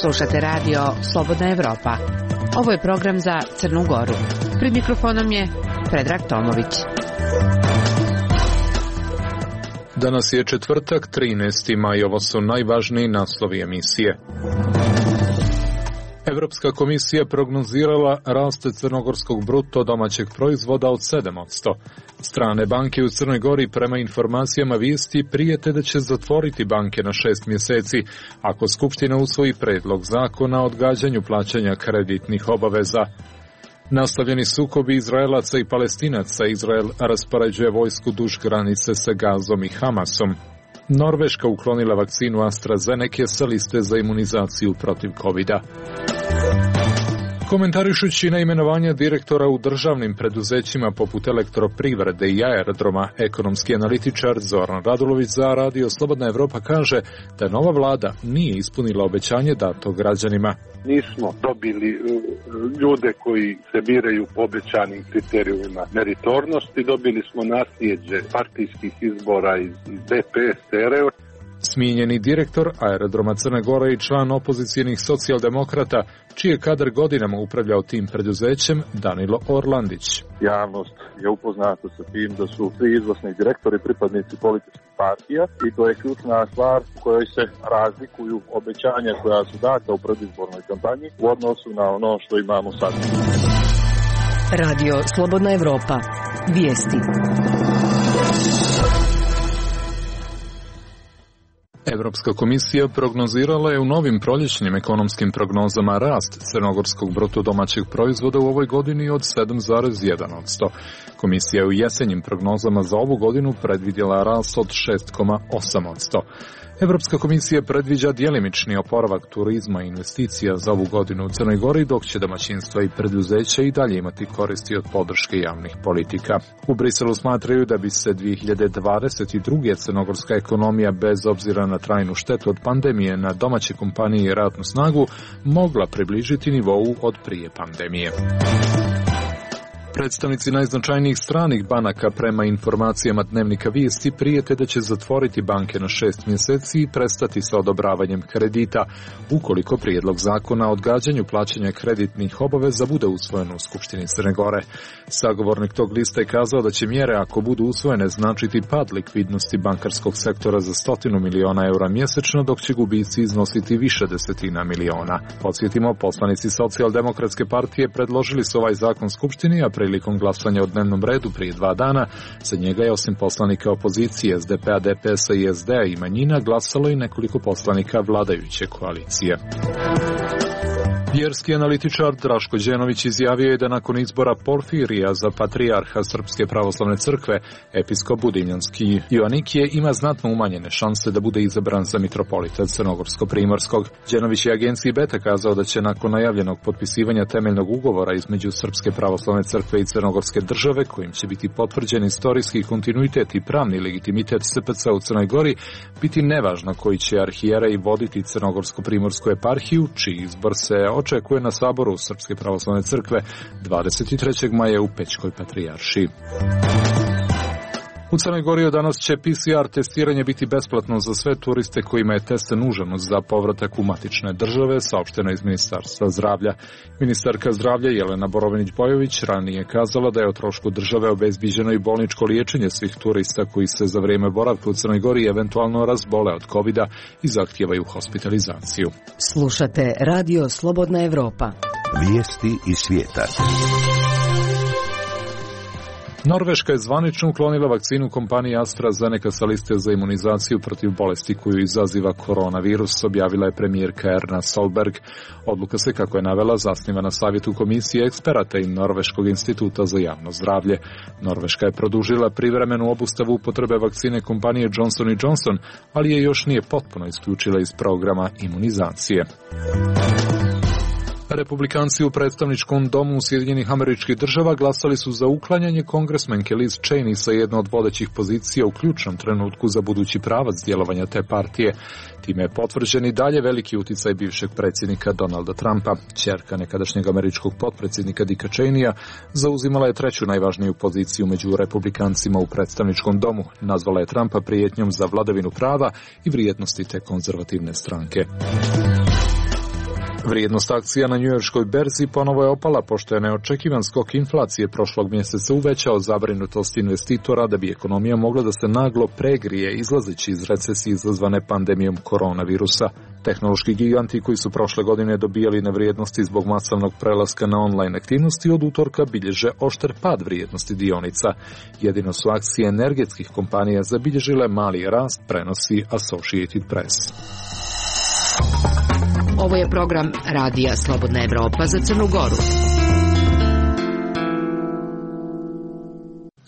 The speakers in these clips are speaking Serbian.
Slušate radio Slobodna Evropa. Ovo je program za Crnu Goru. Pred mikrofonom je Predrag Tomović. Danas je četvrtak, 13. maj, ovo su najvažniji naslovi emisije. Evropska komisija prognozirala rast crnogorskog bruto domaćeg proizvoda od 7%. Strane banke u Crnoj Gori prema informacijama vijesti prijete da će zatvoriti banke na 6 mjeseci ako Skupština usvoji predlog zakona o odgađanju plaćanja kreditnih obaveza. Nastavljeni sukobi Izraelaca i Palestinaca, Izrael raspoređuje vojsku duž granice sa Gazom i Hamasom. Norveška uklonila vakcinu AstraZeneca sa liste za imunizaciju protiv COVID-a. Komentarišući na imenovanje direktora u državnim preduzećima poput Elektroprivrede i aerodroma, ekonomski analitičar Zoran Radulović za Radio Slobodna Evropa kaže da nova vlada nije ispunila obećanje dato građanima. Nismo dobili ljude koji se biraju po obećanim kriterijumima meritornosti, dobili smo nasljeđe partijskih izbora iz DPS-a. Smijenjeni direktor aerodroma Crne Gore i član opozicijenih socijaldemokrata, čiji je kadar godinama upravljao tim preduzećem, Danilo Orlandić. Javnost je upoznata sa tim da su svi izvršni direktori pripadnici političkih partija i to je ključna stvar u kojoj se razlikuju obećanja koja su data u predizbornoj kampanji u odnosu na ono što imamo sad. Radio Slobodna Evropa. Vijesti. Evropska komisija prognozirala je u novim proljećnim ekonomskim prognozama rast crnogorskog bruto domaćeg proizvoda u ovoj godini od 7,1%. Komisija je u jesenjim prognozama za ovu godinu predvidjela rast od 6,8%. Evropska komisija predviđa djelimični oporavak turizma i investicija za ovu godinu u Crnoj Gori, dok će domaćinstva i preduzeća i dalje imati koristi od podrške javnih politika. U Briselu smatraju da bi se 2022. crnogorska ekonomija, bez obzira na trajnu štetu od pandemije na domaće kompanije i radnu snagu, mogla približiti nivou od prije pandemije. Predstavnici najznačajnijih stranih banaka prema informacijama Dnevnika vijesti prijete da će zatvoriti banke na 6 mjeseci i prestati sa odobravanjem kredita, ukoliko prijedlog zakona o odgađanju plaćanja kreditnih obaveza bude usvojen u Skupštini Crne Gore. Sagovornik tog lista je kazao da će mjere, ako budu usvojene, značiti pad likvidnosti bankarskog sektora za 100 miliona eura mjesečno, dok će gubici iznositi više desetina miliona. Podsjetimo, poslanici Socijaldemokratske partije predložili su ovaj zakon Skupštini, a prilikom glasanja o dnevnom redu prije 2 dana, za njega je osim poslanika opozicije SDP-a, DPS-a i SD-a i manjina glasalo i nekoliko poslanika vladajuće koalicije. Vjerski analitičar Draško Đenović izjavio je da nakon izbora Porfirija za patrijarha Srpske pravoslavne crkve, episkop Budinjanski Joanikije ima znatno umanjene šanse da bude izabran za mitropolita Crnogorsko-primorskog. Đenović je agenciji Beta kazao da će nakon najavljenog potpisivanja temeljnog ugovora između Srpske pravoslavne crkve i Crnogorske države, kojim će biti potvrđen istorijski kontinuitet i pravni legitimitet SPC u Crnoj Gori, biti nevažno koji će arhijerej voditi Crnogorsko-primorsku eparhiju, čiji izbor se očekuje na saboru Srpske pravoslavne crkve 23. maja u Pećkoj patrijaršiji. U Crnoj Gori od danas će PCR testiranje biti besplatno za sve turiste kojima je test nužan za povratak u matične države, saopšteno iz Ministarstva zdravlja. Ministarka zdravlja Jelena Borovinić-Bojović ranije kazala da je o trošku države obezbiđeno i bolničko liječenje svih turista koji se za vrijeme boravka u Crnoj Gori eventualno razbole od COVID-a i zahtijevaju hospitalizaciju. Slušate Radio Slobodna Evropa. Vijesti iz svijeta. Norveška je zvanično uklonila vakcinu kompanije AstraZeneca sa liste za imunizaciju protiv bolesti koju izaziva koronavirus, objavila je premijerka Erna Solberg. Odluka se, kako je navela, zasniva na savjetu komisije eksperata i Norveškog instituta za javno zdravlje. Norveška je produžila privremenu obustavu upotrebe vakcine kompanije Johnson & Johnson, ali je još nije potpuno isključila iz programa imunizacije. Republikanci u predstavničkom domu Sjedinjenih Američkih Država glasali su za uklanjanje kongresmenke Liz Cheney sa jedne od vodećih pozicija u ključnom trenutku za budući pravac djelovanja te partije. Time je potvrđen i dalje veliki uticaj bivšeg predsjednika Donalda Trumpa. Ćerka nekadašnjeg američkog potpredsjednika Dicka Cheneya zauzimala je treću najvažniju poziciju među republikancima u predstavničkom domu. Nazvala je Trumpa prijetnjom za vladavinu prava i vrijednosti te konzervativne stranke. Vrijednost akcija na njujorškoj berzi ponovo je opala, pošto je neočekivan skok inflacije prošlog mjeseca uvećao zabrinutost investitora da bi ekonomija mogla da se naglo pregrije izlazeći iz recesije izazvane pandemijom koronavirusa. Tehnološki giganti koji su prošle godine dobijali na vrijednosti zbog masovnog prelaska na online aktivnosti od utorka bilježe oštar pad vrijednosti dionica. Jedino su akcije energetskih kompanija zabilježile mali rast, prenosi Associated Press. Ovo je program Radija Slobodna Evropa za Crnu Goru.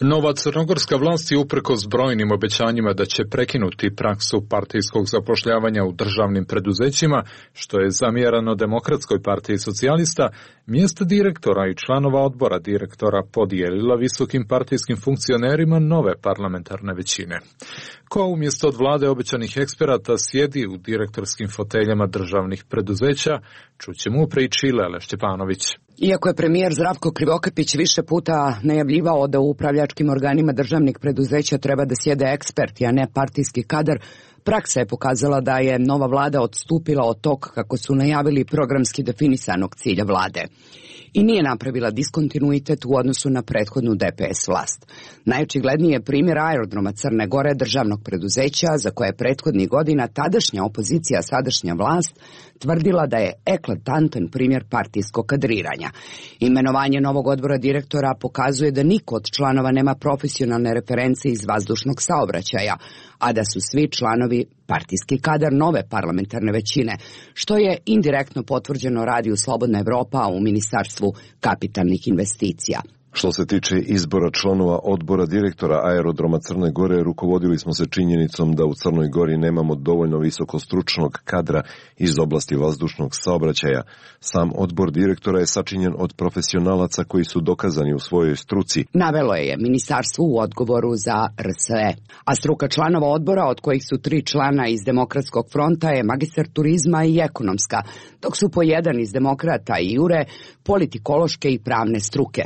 Nova crnogorska vlast je uprkos brojnim obećanjima da će prekinuti praksu partijskog zapošljavanja u državnim preduzećima, što je zamjerano Demokratskoj partiji socijalista, mjesta direktora i članova odbora direktora podijelila visokim partijskim funkcionerima nove parlamentarne većine. Ko umjesto od vlade obećanih eksperata sjedi u direktorskim foteljama državnih preduzeća, čućemo u priči Lele Šćepanović. Iako je premijer Zdravko Krivokapić više puta najavljivao da u upravljačkim organima državnih preduzeća treba da sjede eksperti, a ne partijski kadar, praksa je pokazala da je nova vlada odstupila od tog kako su najavili programski definisanog cilja vlade i nije napravila diskontinuitet u odnosu na prethodnu DPS vlast. Najočigledniji je primjer aerodroma Crne Gore, državnog preduzeća, za koje je prethodnih godina tadašnja opozicija, sadašnja vlast, tvrdila da je eklatantan primjer partijskog kadriranja. Imenovanje novog odbora direktora pokazuje da niko od članova nema profesionalne reference iz vazdušnog saobraćaja, a da su svi članovi partijski kadar nove parlamentarne većine, što je indirektno potvrđeno Radiju Slobodna Evropa u Ministarstvu kapitalnih investicija. Što se tiče izbora članova odbora direktora aerodroma Crne Gore, rukovodili smo se činjenicom da u Crnoj Gori nemamo dovoljno visokostručnog kadra iz oblasti vazdušnog saobraćaja. Sam odbor direktora je sačinjen od profesionalaca koji su dokazani u svojoj struci. Navelo je ministarstvo u odgovoru za RSE. A struka članova odbora, od kojih su 3 člana iz Demokratskog fronta, je magistar turizma i ekonomska, dok su po 1 iz Demokrata i Jure politikološke i pravne struke.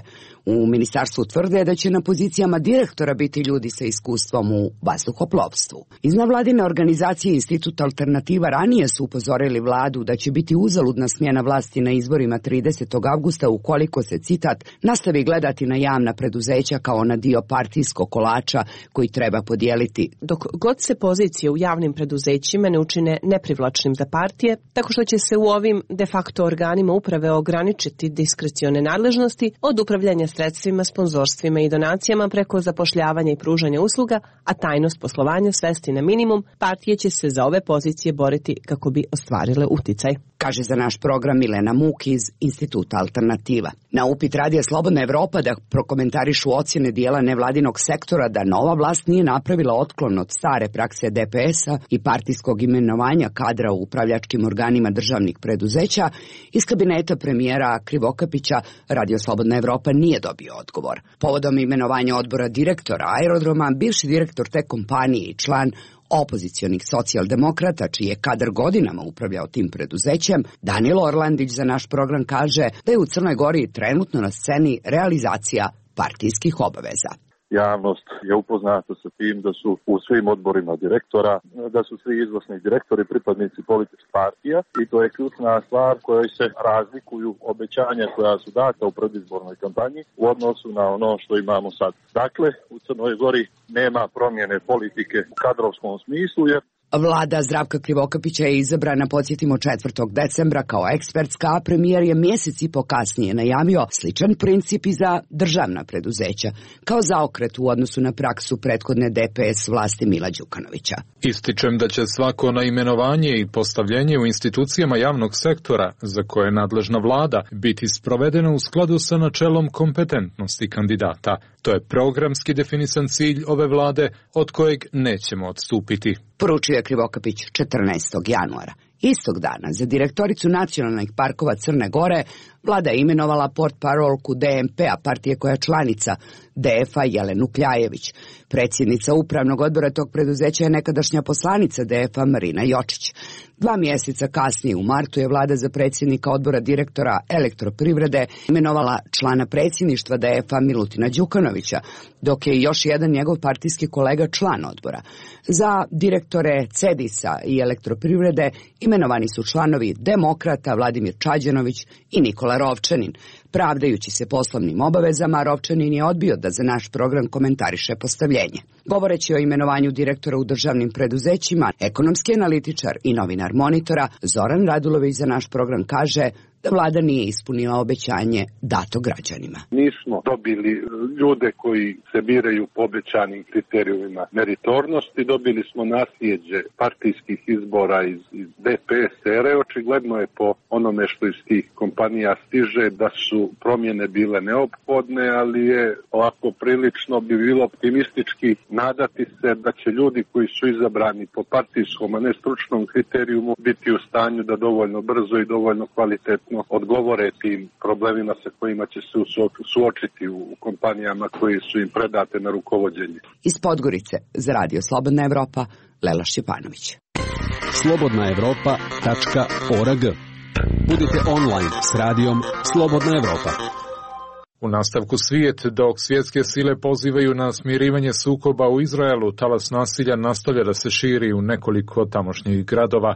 U ministarstvu tvrde da će na pozicijama direktora biti ljudi sa iskustvom u vazduhoplovstvu. Iz nevladine organizacije Institut Alternativa ranije su upozorili vladu da će biti uzaludna smjena vlasti na izborima 30. avgusta ukoliko se, citat, nastavi gledati na javna preduzeća kao na dio partijskog kolača koji treba podijeliti. Dok god se pozicije u javnim preduzećima ne učine neprivlačnim za partije, tako što će se u ovim de facto organima uprave ograničiti diskrecione nadležnosti od upravljanja sredstvima, sponzorstvima i donacijama preko zapošljavanja i pružanja usluga, a tajnost poslovanja svesti na minimum, partije će se za ove pozicije boriti kako bi ostvarile uticaj. Kaže za naš program Milena Muk iz Instituta Alternativa. Na upit Radija Slobodna Evropa da prokomentarišu ocjene dijela nevladinog sektora da nova vlast nije napravila otklon od stare prakse DPS-a i partijskog imenovanja kadra u upravljačkim organima državnih preduzeća, iz kabineta premijera Krivokapića Radio Slobodna Evropa nije dobio odgovor. Povodom imenovanja odbora direktora aerodroma, bivši direktor te kompanije i član opozicionih socijaldemokrata, čiji je kadar godinama upravljao tim preduzećem, Danilo Orlandić za naš program kaže da je u Crnoj Gori trenutno na sceni realizacija partijskih obaveza. Javnost je upoznata sa tim da su u svim odborima direktora, da su svi izvršni direktori pripadnici političkih partija i to je ključna stvar kojoj se razlikuju obećanja koja su data u predizbornoj kampanji u odnosu na ono što imamo sad. Dakle, u Crnoj Gori nema promjene politike u kadrovskom smislu jer Vlada Zdravka Krivokapića je izabrana, podsjetimo, 4. decembra kao ekspertska, a premijer je mjesec i po kasnije najavio sličan princip i za državna preduzeća, kao zaokret u odnosu na praksu prethodne DPS vlasti Mila Đukanovića. Ističem da će svako naimenovanje i postavljenje u institucijama javnog sektora, za koje je nadležna vlada, biti sprovedeno u skladu sa načelom kompetentnosti kandidata. To je programski definisan cilj ove vlade, od kojeg nećemo odstupiti. Poručio je Krivokapić 14. januara. Istog dana za direktoricu nacionalnih parkova Crne Gore vlada je imenovala portparolku DMP-a, partije koja je članica DF-a, Jelenu Kljajević. Predsjednica upravnog odbora tog preduzeća je nekadašnja poslanica DF-a Marina Jočić. 2 mjeseca kasnije u martu je vlada za predsjednika odbora direktora Elektroprivrede imenovala člana predsjedništva DF-a Milutina Đukanovića, dok je još jedan njegov partijski kolega član odbora. Za direktore Cedisa i Elektroprivrede imenovani su članovi Demokrata Vladimir Čađanović i Nikola Rovčanin. Pravdajući se poslovnim obavezama, Rovčanin je odbio da za naš program komentariše postavljenje. Govoreći o imenovanju direktora u državnim preduzećima, ekonomski analitičar i novinar Monitora Zoran Radulović za naš program kaže da vlada nije ispunila obećanje dato građanima. Nismo dobili ljude koji se biraju po obećanim kriterijumima meritornosti, dobili smo nasljeđe partijskih izbora iz DPS ere. Očigledno je po onome što iz tih kompanija stiže da su promjene bile neophodne, ali je ovako prilično bi bilo optimistički nadati se da će ljudi koji su izabrani po partijskom, a ne stručnom kriterijumu biti u stanju da dovoljno brzo i dovoljno kvalitetno odgovore tim problemima sa kojima će se suočiti u kompanijama koji su im predate na rukovođenje. Iz Podgorice za Radio Slobodna Evropa, Lela Šćepanović. slobodnaevropa.org. Budite online s radijom Slobodna Evropa. U nastavku svijet, dok svjetske sile pozivaju na smirivanje sukoba u Izraelu, talas nasilja nastavlja da se širi u nekoliko tamošnjih gradova.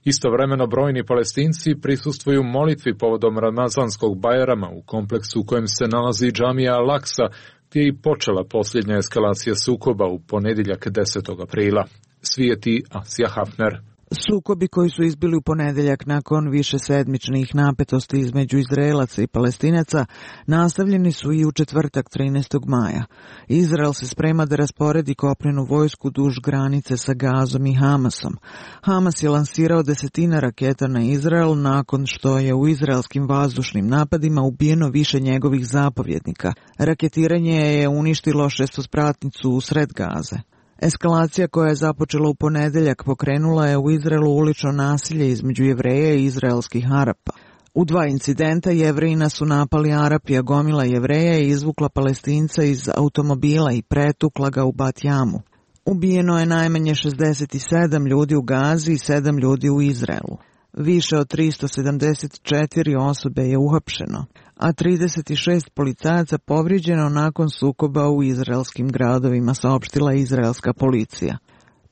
Istovremeno brojni Palestinci prisustvuju molitvi povodom Ramazanskog Bajrama u kompleksu u kojem se nalazi džamija Al-Aksa, gdje je i počela posljednja eskalacija sukoba u ponedjeljak 10. aprila. Svijeti Asija Hafner. Sukobi koji su izbili u ponedjeljak nakon višesedmičnih napetosti između Izraelaca i Palestinaca nastavljeni su i u četvrtak 13. maja. Izrael se sprema da rasporedi kopnenu vojsku duž granice sa Gazom i Hamasom. Hamas je lansirao 10 raketa na Izrael nakon što je u izraelskim vazdušnim napadima ubijeno više njegovih zapovjednika. Raketiranje je uništilo šestospratnicu u sred Gaze. Eskalacija koja je započela u ponedjeljak pokrenula je u Izraelu ulično nasilje između Jevreja i izraelskih Arapa. U 2 incidenta Jevrejina su napali Arapi, a gomila Jevreja je izvukla Palestinca iz automobila i pretukla ga u Bat Jamu. Ubijeno je najmanje 67 ljudi u Gazi i 7 ljudi u Izraelu. Više od 374 osobe je uhapšeno, a 36 policajaca povrijeđeno nakon sukoba u izraelskim gradovima, saopštila izraelska policija.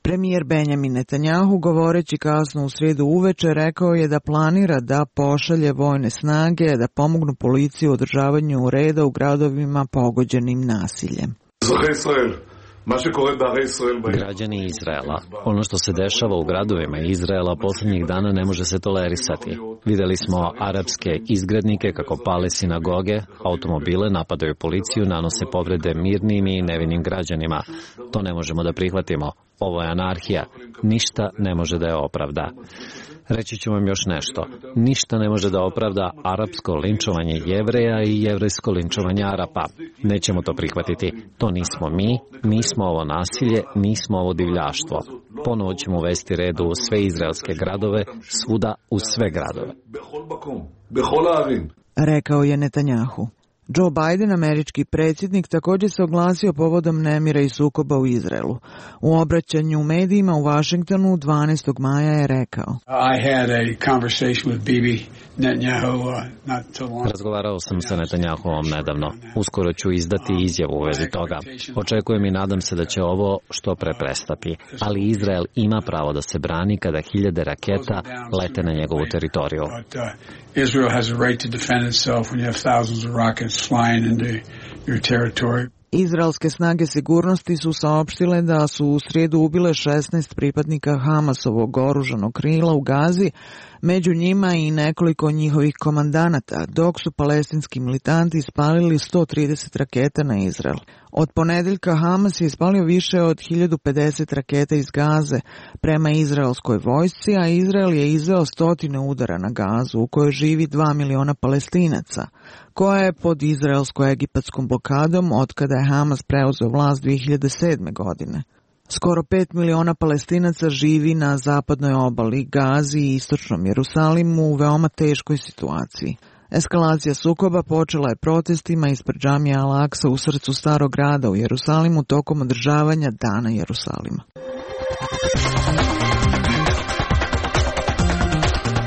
Premijer Benjamin Netanjahu, govoreći kasno u srijedu uveče, rekao je da planira da pošalje vojne snage da pomognu policiji u održavanju reda u gradovima pogođenim nasiljem. Građani Izraela, ono što se dešava u gradovima Izraela posljednjih dana ne može se tolerisati. Vidjeli smo arapske izgrednike kako pale sinagoge, automobile, napadaju policiju, nanose povrede mirnim i nevinim građanima. To ne možemo da prihvatimo. Ovo je anarhija. Ništa ne može da je opravda. Reći ću vam još nešto. Ništa ne može da opravda arapsko linčovanje Jevreja i jevrejsko linčovanje Arapa. Nećemo to prihvatiti. To nismo mi, nismo ovo nasilje, nismo ovo divljaštvo. Ponovo ćemo uvesti red u sve izraelske gradove, svuda u sve gradove. Rekao je Netanjahu. Joe Biden, američki predsjednik, također se oglasio povodom nemira i sukoba u Izraelu. U obraćanju u medijima u Washingtonu 12. maja je rekao: Razgovarao sam sa Netanjahuom nedavno. Uskoro ću izdati izjavu u vezi toga. Očekujem i nadam se da će ovo što pre prestati. Ali Izrael ima pravo da se brani kada 1000 raketa lete na njegovu teritoriju. Israel has a right to defend itself when you have thousands of rockets flying into your territory. Izraelske snage sigurnosti su saopštile da su u srijedu ubile 16 pripadnika Hamasovog oružanog krila u Gazi, među njima i nekoliko njihovih komandanata, dok su palestinski militanti ispalili 130 raketa na Izrael. Od ponedjeljka Hamas je ispalio više od 1050 raketa iz Gaze prema izraelskoj vojsci, a Izrael je izveo 100 udara na Gazu u kojoj živi 2 miliona Palestinaca, koja je pod izraelsko-egipatskom blokadom otkada je Hamas preuzeo vlast 2007. godine. Skoro 5 miliona Palestinaca živi na zapadnoj obali, Gazi i istočnom Jerusalimu u veoma teškoj situaciji. Eskalacija sukoba počela je protestima ispred džamije Al-Aksa u srcu starog grada u Jerusalimu tokom održavanja Dana Jerusalima.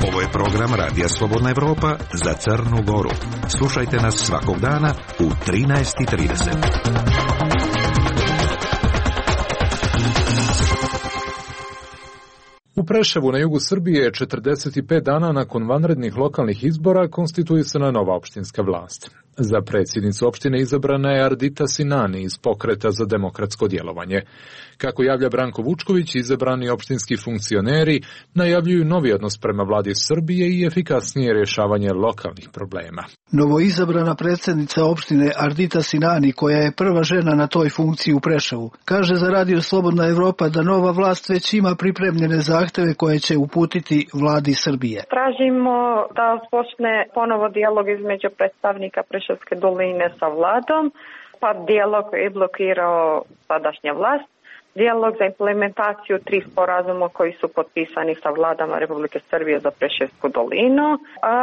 Ovo je program Radija Slobodna Evropa za Crnu Goru. Slušajte nas svakog dana u 13:30. U Preševu na jugu Srbije 45 dana nakon vanrednih lokalnih izbora konstituisana nova opštinska vlast. Za predsjednicu opštine izabrana je Ardita Sinani iz Pokreta za demokratsko djelovanje. Kako javlja Branko Vučković, izabrani opštinski funkcioneri najavljuju novi odnos prema vladi Srbije i efikasnije rješavanje lokalnih problema. Novoizabrana predsjednica opštine Ardita Sinani, koja je prva žena na toj funkciji u Preševu, kaže za Radio Slobodna Evropa da nova vlast već ima pripremljene zahteve koje će uputiti vladi Srbije. Tražimo da počne ponovo dijalog između predstavnika Preševske doline sa vladom, pa dijalog je blokirao sadašnja vlast. Dijalog za implementaciju 3 sporazuma koji su potpisani sa vladama Republike Srbije za Preševsku dolinu, a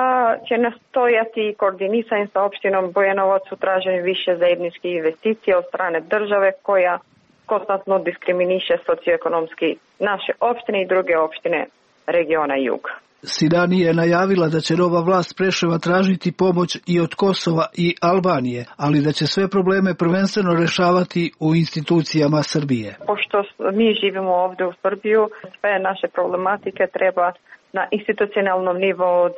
će nastojati koordinisanje sa opštinom Bujanovac u traženju više zajedničkih investicija od strane države koja konstantno diskriminiše socioekonomski naše opštine i druge opštine regiona Juga. Sinani je najavila da će nova vlast Preševa tražiti pomoć i od Kosova i Albanije, ali da će sve probleme prvenstveno rešavati u institucijama Srbije. Pošto mi živimo ovdje u Srbiju, sve naše problematike treba na institucionalnom nivou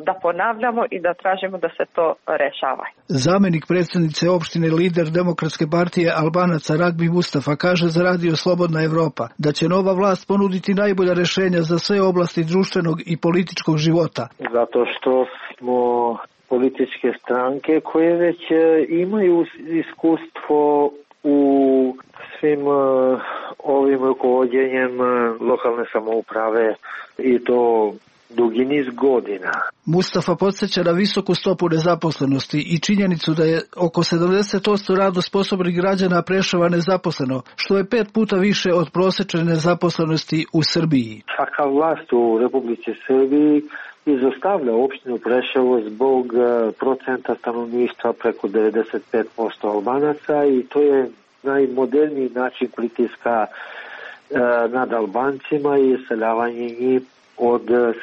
da ponavljamo i da tražimo da se to rešava. Zamenik predsjednice opštine, lider Demokratske partije Albanaca Ragbi Mustafa, kaže za Radio Slobodna Evropa da će nova vlast ponuditi najbolja rešenja za sve oblasti društvenog i političkog života. Zato što smo političke stranke koje već imaju iskustvo u svim ovim rukovođenjem lokalne samouprave i to dugi niz godina. Mustafa podsjeća na visoku stopu nezaposlenosti i činjenicu da je oko 70% radno sposobnih građana Preševa nezaposleno, što je 5 puta više od prosječne nezaposlenosti u Srbiji. Svaka vlast u Republici Srbiji izostavlja opštinu Preševo zbog procenta stanovništva preko 95% Albanaca i to je najmoderniji način pritiska nad Albancima i iseljavanje njih od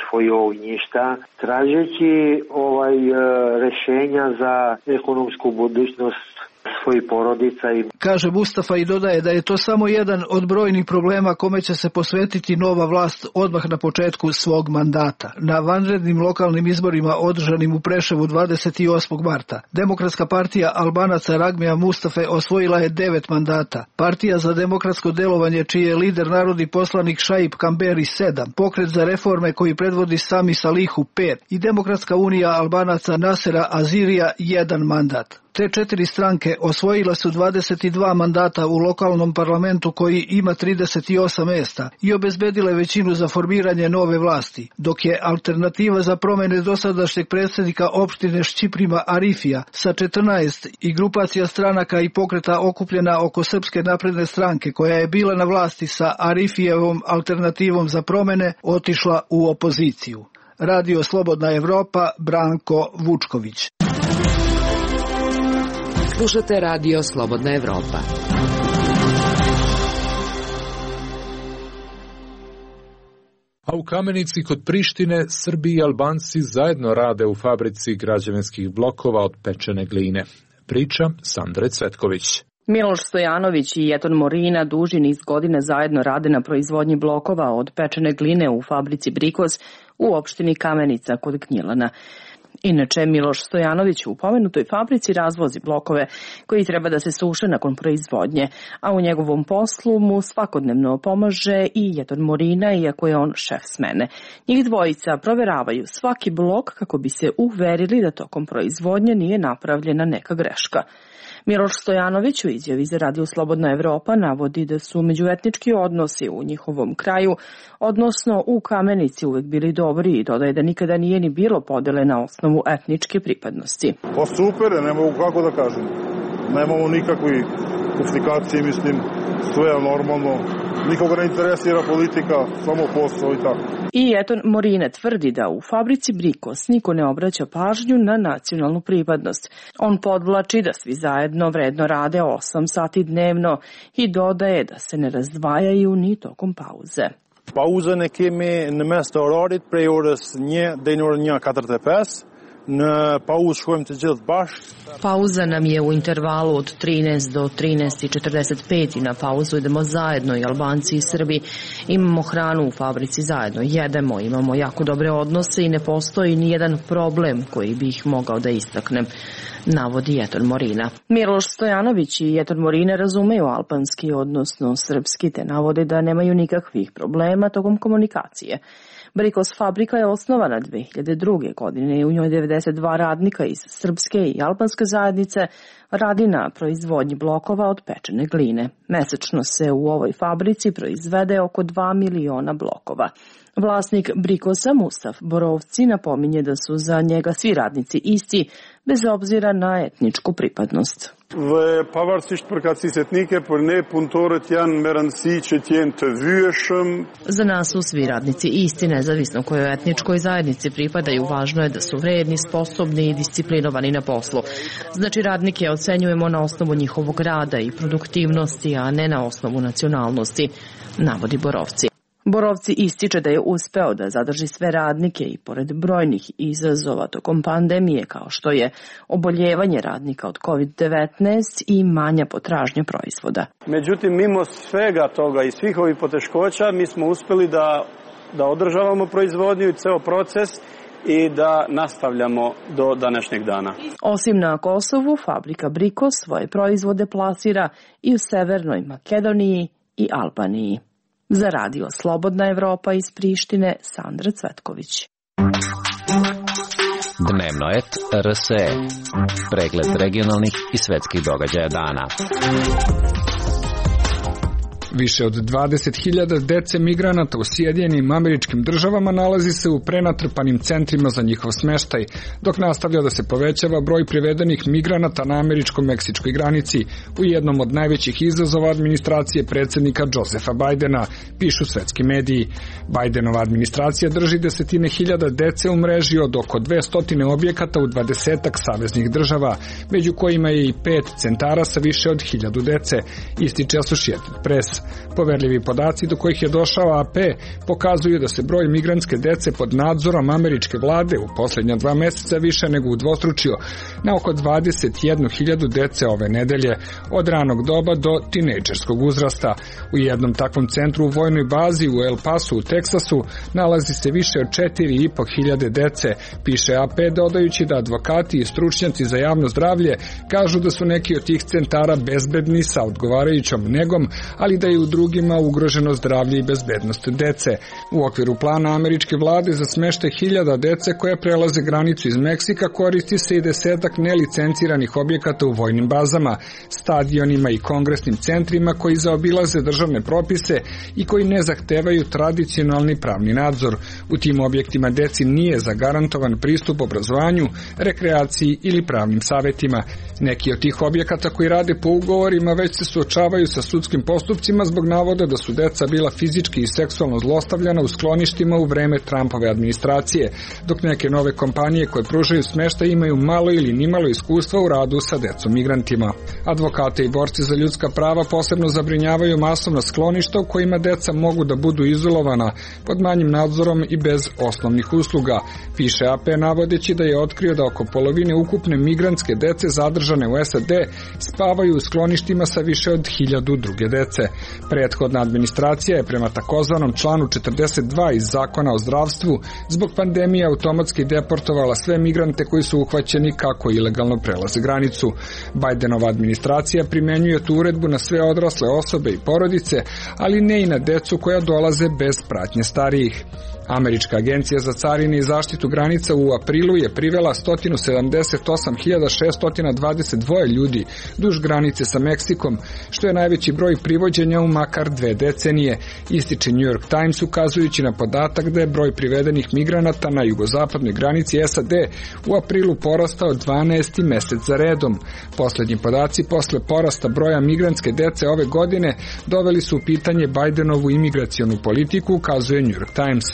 svojih ognjišta, tražeći rešenja za ekonomsku budućnost svojih porodica. Kaže Mustafa i dodaje da je to samo jedan od brojnih problema kome će se posvetiti nova vlast odmah na početku svog mandata. Na vanrednim lokalnim izborima održanim u Preševu 28. marta, Demokratska partija Albanaca Ragmija Mustafe osvojila je 9 mandata. Partija za demokratsko delovanje, čiji je lider narodni poslanik Šaip Kamberi 7, Pokret za reforme koji predvodi Sami Salihu 5 i Demokratska unija Albanaca Nasera Azirija 1 mandat. Te 4 stranke osvojila su 22 mandata u lokalnom parlamentu koji ima 38 mjesta i obezbedile većinu za formiranje nove vlasti, dok je alternativa za promjene dosadašnjeg predsjednika opštine Šćiprima Arifija sa 14 i grupacija stranaka i pokreta okupljena oko Srpske napredne stranke koja je bila na vlasti sa Arifijevom alternativom za promjene otišla u opoziciju. Radio Slobodna Evropa, Branko Vučković. Slušate Radio Slobodna Evropa. A u Kamenici kod Prištine Srbi i Albanci zajedno rade u fabrici građevinskih blokova od pečene gline. Priča Sandre Cvetković. Miloš Stojanović i Jeton Morina duži niz godina zajedno rade na proizvodnji blokova od pečene gline u fabrici Brikoz u opštini Kamenica kod Gnjilana. Inače, Miloš Stojanović u pomenutoj fabrici razvozi blokove koji treba da se suše nakon proizvodnje, a u njegovom poslu mu svakodnevno pomaže i Jeton Morina, iako je on šef smene. Njih dvojica proveravaju svaki blok kako bi se uverili da tokom proizvodnje nije napravljena neka greška. Miloš Stojanović u izjavi za Radio Slobodna Evropa navodi da su međuetnički odnosi u njihovom kraju, odnosno u Kamenici, uvek bili dobri i dodaje da nikada nije ni bilo podele na osnovu etničke pripadnosti. Pa super, ne mogu kako da kažem. Nemamo nikakvi komunikacije, mislim, sve je normalno. Nikoga ne interesira politika, samo posao i tako. I Eton Morine tvrdi da u fabrici Brikos niko ne obraća pažnju na nacionalnu pripadnost. On podvlači da svi zajedno vredno rade 8 sati dnevno i dodaje da se ne razdvajaju ni tokom pauze. Pauzën e kemi në mes të orarit prej orës 1 deri në orën 1:45. Në pauzë shkojmë të gjithë bashkë. Pauza nam je u intervalu od 13 do 13:45 i na pauzu idemo zajedno i Albanci i Srbi. Imamo hranu u fabrici zajedno, jedemo, imamo jako dobre odnose i ne postoji ni jedan problem koji bih mogao da istaknem, navodi Eton Morina. Miloš Stojanović i Eton Morine razumeju albanski, odnosno srpski, te navode da nemaju nikakvih problema tokom komunikacije. Brikos fabrika je osnovana 2002. godine i u njoj 92 radnika iz srpske i albanske zajednice radi na proizvodnji blokova od pečene gline. Mesečno se u ovoj fabrici proizvede oko 2 miliona blokova. Vlasnik Brikosa Mustaf Borovci napominje da su za njega svi radnici isti, bez obzira na etničku pripadnost. Pavarësisht përkatësisë etnike, por ne punëtorët janë me rëndësi që të jenë të vyeshëm. Za nas su svi radnici isti, nezavisno kojoj etničkoj zajednici pripadaju, važno je da su vredni, sposobni i disciplinovani na poslu. Znači radnike ocenjujemo na osnovu njihovog rada i produktivnosti, a ne na osnovu nacionalnosti, navodi Borovci. Borovci ističe da je uspeo da zadrži sve radnike i pored brojnih izazova tokom pandemije kao što je oboljevanje radnika od COVID-19 i manja potražnja proizvoda. Međutim, mimo svega toga i svih ovih poteškoća mi smo uspeli da održavamo proizvodnju i ceo proces i da nastavljamo do današnjeg dana. Osim na Kosovu, fabrika Brikos svoje proizvode plasira i u Severnoj Makedoniji i Albaniji. Za radio Slobodna Evropa iz Prištine, Sandra Cvetković. Dnevno et RSE. Pregled regionalnih i svetskih događaja dana. Više od 20.000 dece migranata u Sjedinjenim Američkim Državama nalazi se u prenatrpanim centrima za njihov smeštaj, dok nastavlja da se povećava broj privedenih migranata na američko-meksičkoj granici u jednom od najvećih izazova administracije predsjednika Josefa Bajdena, pišu svetski mediji. Bajdenova administracija drži desetine hiljada dece u mreži od oko 200 objekata u 20-ak saveznih država, među kojima je i 5 centara sa više od 1000 dece, ističe Associated Press. Poverljivi podaci do kojih je došao AP pokazuju da se broj migrantske dece pod nadzorom američke vlade u posljednja 2 meseca više nego udvostručio na oko 21.000 dece ove nedelje, od ranog doba do tinejdžerskog uzrasta. U jednom takvom centru u vojnoj bazi u El Pasu u Teksasu nalazi se više od 4.500 dece, piše AP, dodajući da advokati i stručnjaci za javno zdravlje kažu da su neki od tih centara bezbedni sa odgovarajućom negom, ali da je u drugima ugroženo zdravlje i bezbednost dece. U okviru plana američke vlade za smeštaj 1000 dece koja prelaze granicu iz Meksika koristi se i 10-ak nelicenciranih objekata u vojnim bazama, stadionima i kongresnim centrima koji zaobilaze državne propise i koji ne zahtevaju tradicionalni pravni nadzor. U tim objektima deci nije zagarantovan pristup obrazovanju, rekreaciji ili pravnim savetima. Neki od tih objekata koji rade po ugovorima već se suočavaju sa sudskim postupcima zbog navoda da su deca bila fizički i seksualno zlostavljana u skloništima u vreme Trumpove administracije, dok neke nove kompanije koje pružaju smeštaj imaju malo ili nimalo iskustva u radu sa decom migrantima. Advokate i borci za ljudska prava posebno zabrinjavaju masovna skloništa u kojima deca mogu da budu izolovana pod manjim nadzorom i bez osnovnih usluga, piše AP, navodeći da je otkrio da oko polovine ukupne migrantske dece zadržane u SAD spavaju u skloništima sa više od 1000 druge dece. Prethodna administracija je prema takozvanom članu 42 iz Zakona o zdravstvu zbog pandemije automatski deportovala sve migrante koji su uhvaćeni kako ilegalno prelaze granicu. Bajdenova administracija primenjuje tu uredbu na sve odrasle osobe i porodice, ali ne i na decu koja dolaze bez pratnje starijih. Američka agencija za carine i zaštitu granica u aprilu je privela 178.622 ljudi duž granice sa Meksikom, što je najveći broj privođenja u makar 2 decenije, ističe New York Times ukazujući na podatak da je broj privedenih migranata na jugozapadnoj granici SAD u aprilu porastao 12. mesec za redom. Poslednji podaci posle porasta broja migrantske dece ove godine doveli su u pitanje Bidenovu imigracionu politiku, ukazuje New York Times.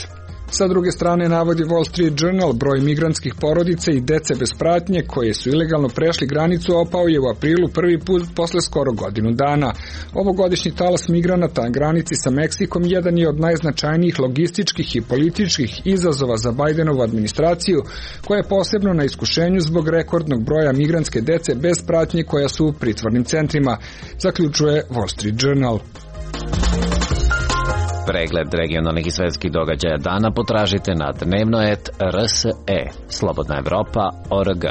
Sa druge strane, navodi Wall Street Journal, broj migrantskih porodica i dece bez pratnje koje su ilegalno prešli granicu opao je u aprilu prvi put posle skoro godinu dana. Ovogodišnji talas migranata na granici sa Meksikom jedan je od najznačajnijih logističkih i političkih izazova za Bidenovu administraciju, koja je posebno na iskušenju zbog rekordnog broja migrantske dece bez pratnje koja su u pritvornim centrima, zaključuje Wall Street Journal. Pregled regionalnih i svetskih događaja dana potražite na dnevnoet.rse. Slobodna Evropa.org.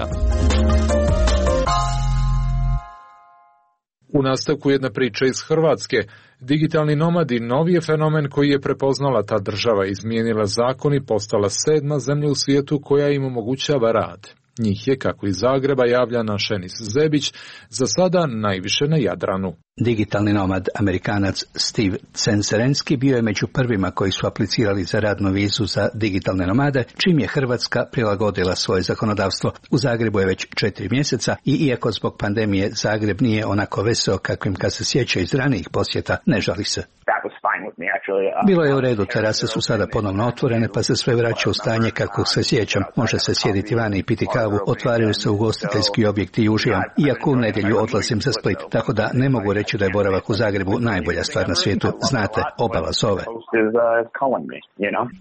U nastavku jedna priča iz Hrvatske. Digitalni nomadi novi je fenomen koji je prepoznala ta država, izmijenila zakon i postala 7. zemlja u svijetu koja im omogućava rad. Njih je, kako iz Zagreba javlja naš Enis Zebić, za sada najviše na Jadranu. Digitalni nomad Amerikanac Steve Censerenski bio je među prvima koji su aplicirali za radnu vizu za digitalne nomade, čim je Hrvatska prilagodila svoje zakonodavstvo. U Zagrebu je već 4 mjeseca i iako zbog pandemije Zagreb nije onako veseo kakvim kad se sjeća iz ranijih posjeta, ne žali se. Bilo je u redu, terase su sada ponovno otvorene pa se sve vraća u stanje kako se sjećam. Može se sjediti vani i piti kavu, otvaraju se ugostiteljski objekti i uživam. Iako u nedjelju odlazim za Split, tako da ne mogu reći da je boravak u Zagrebu najbolja stvar na svijetu. Znate, obala zove.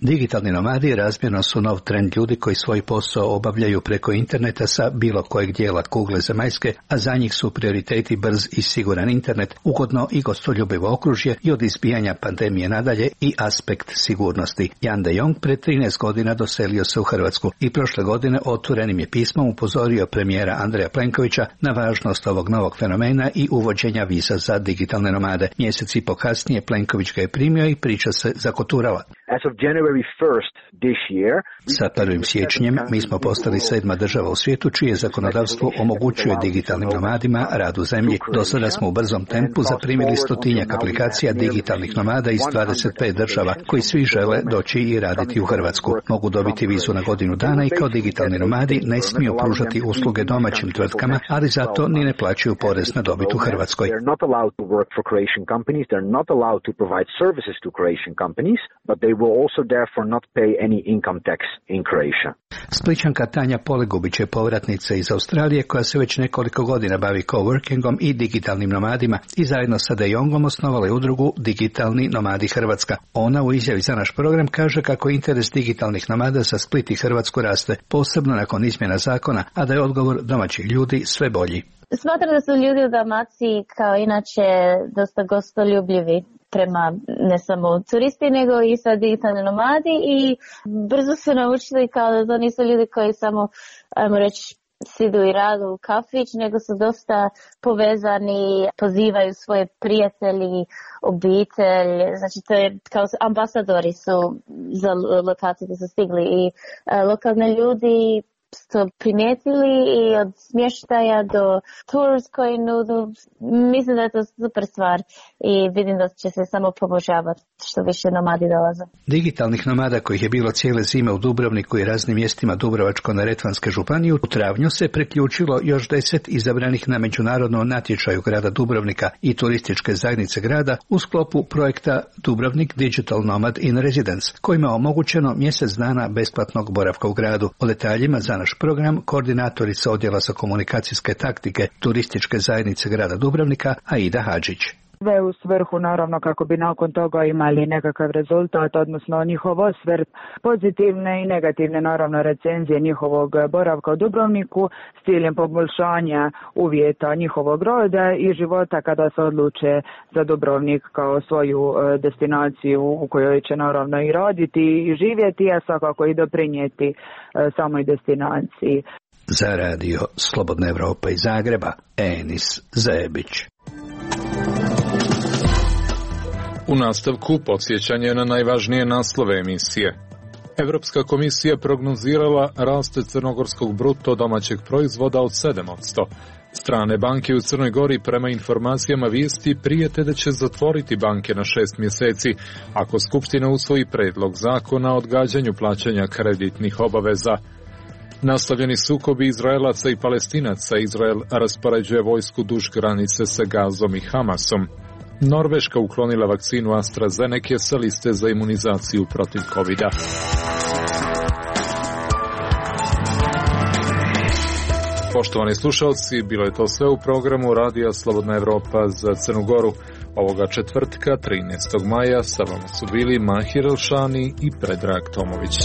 Digitalni nomadi razmjerno su nov trend ljudi koji svoj posao obavljaju preko interneta sa bilo kojeg dijela kugle zemaljske, a za njih su prioriteti brz i siguran internet, ugodno i gostoljubivo okružje i od izbijanja pandemije nadalje i aspekt sigurnosti. Jan de Jong pred 13 godina doselio se u Hrvatsku i prošle godine otvorenim je pismom upozorio premijera Andreja Plenkovića na važnost ovog novog fenomena i uvođenja viza za digitalne nomade. Mjesec i po kasnije Plenković ga je primio i priča se zakoturala. Sa 1. siječnjem mi smo postali 7. država u svijetu čije zakonodavstvo omogućuje digitalnim nomadima rad u zemlji. Do sada smo u brzom tempu zaprimili 100-tinjak aplikacija digitalnih nomada iz 25 država koji svi žele doći i raditi u Hrvatsku. Mogu dobiti vizu na godinu dana i kao digitalni nomadi ne smiju pružati usluge domaćim tvrtkama, ali zato ni ne plaćaju porez na dobit u Hrvatskoj. Splićanka Tanja Polegubić je povratnica iz Australije koja se već nekoliko godina bavi coworkingom i digitalnim nomadima i zajedno sa De Jongom osnovala je udrugu Digitalni nomadi Hrvatska. Ona u izjavi za naš program kaže kako interes digitalnih nomada za Split i Hrvatsku raste, posebno nakon izmjena zakona, a da je odgovor domaćih ljudi sve bolji. Smatram da su ljudi u Dalmaciji kao inače dosta gostoljubljivi prema ne samo turisti nego i sa digitalni nomadi i brzo su naučili kao da to nisu ljudi koji samo, ajmo reći, sidu i radu u kafić, nego su dosta povezani, pozivaju svoje prijatelji, obitelj, znači to je kao ambasadori su za lokaciju gdje su stigli i lokalne ljudi to primijetili i od smještaja do tours koji nudu. Mislim da je to super stvar i vidim da će se samo poboljšavati što više nomadi dolaze. Digitalnih nomada kojih je bilo cijele zime u Dubrovniku i raznim mjestima Dubrovačko-neretvanske županije u travnju se priključilo još 10 izabranih na međunarodnom natječaju grada Dubrovnika i turističke zajednice grada u sklopu projekta Dubrovnik Digital Nomad in Residence, kojima je omogućeno mjesec dana besplatnog boravka u gradu. O detaljima za naš program koordinatorica odjela za komunikacijske taktike turističke zajednice grada Dubrovnika Aida Hadžić. Sve u svrhu naravno kako bi nakon toga imali nekakav rezultat, odnosno njihov osvrt, pozitivne i negativne naravno recenzije njihovog boravka u Dubrovniku s ciljem poboljšanja uvjeta njihovog roda i života kada se odluče za Dubrovnik kao svoju destinaciju u kojoj će naravno i raditi i živjeti, a svakako i doprinijeti samoj destinaciji. Za radio Slobodna Evropa iz Zagreba, Enis Zebić. U nastavku podsjećanje na najvažnije naslove emisije. Europska komisija prognozirala rast crnogorskog bruto domaćeg proizvoda od 7%. Strane banke u Crnoj Gori prema informacijama vijesti prijete da će zatvoriti banke na 6 mjeseci ako Skupština usvoji predlog zakona o odgađanju plaćanja kreditnih obaveza. Nastavljeni sukobi Izraelaca i Palestinaca, Izrael raspoređuje vojsku duž granice sa Gazom i Hamasom. Norveška uklonila vakcinu AstraZeneca sa liste za imunizaciju protiv COVID-a. Poštovani slušalci, bilo je to sve u programu Radija Slobodna Evropa za Crnu Goru. Ovoga četvrtka, 13. maja, sa vama su bili Mahir Elšani i Predrag Tomović.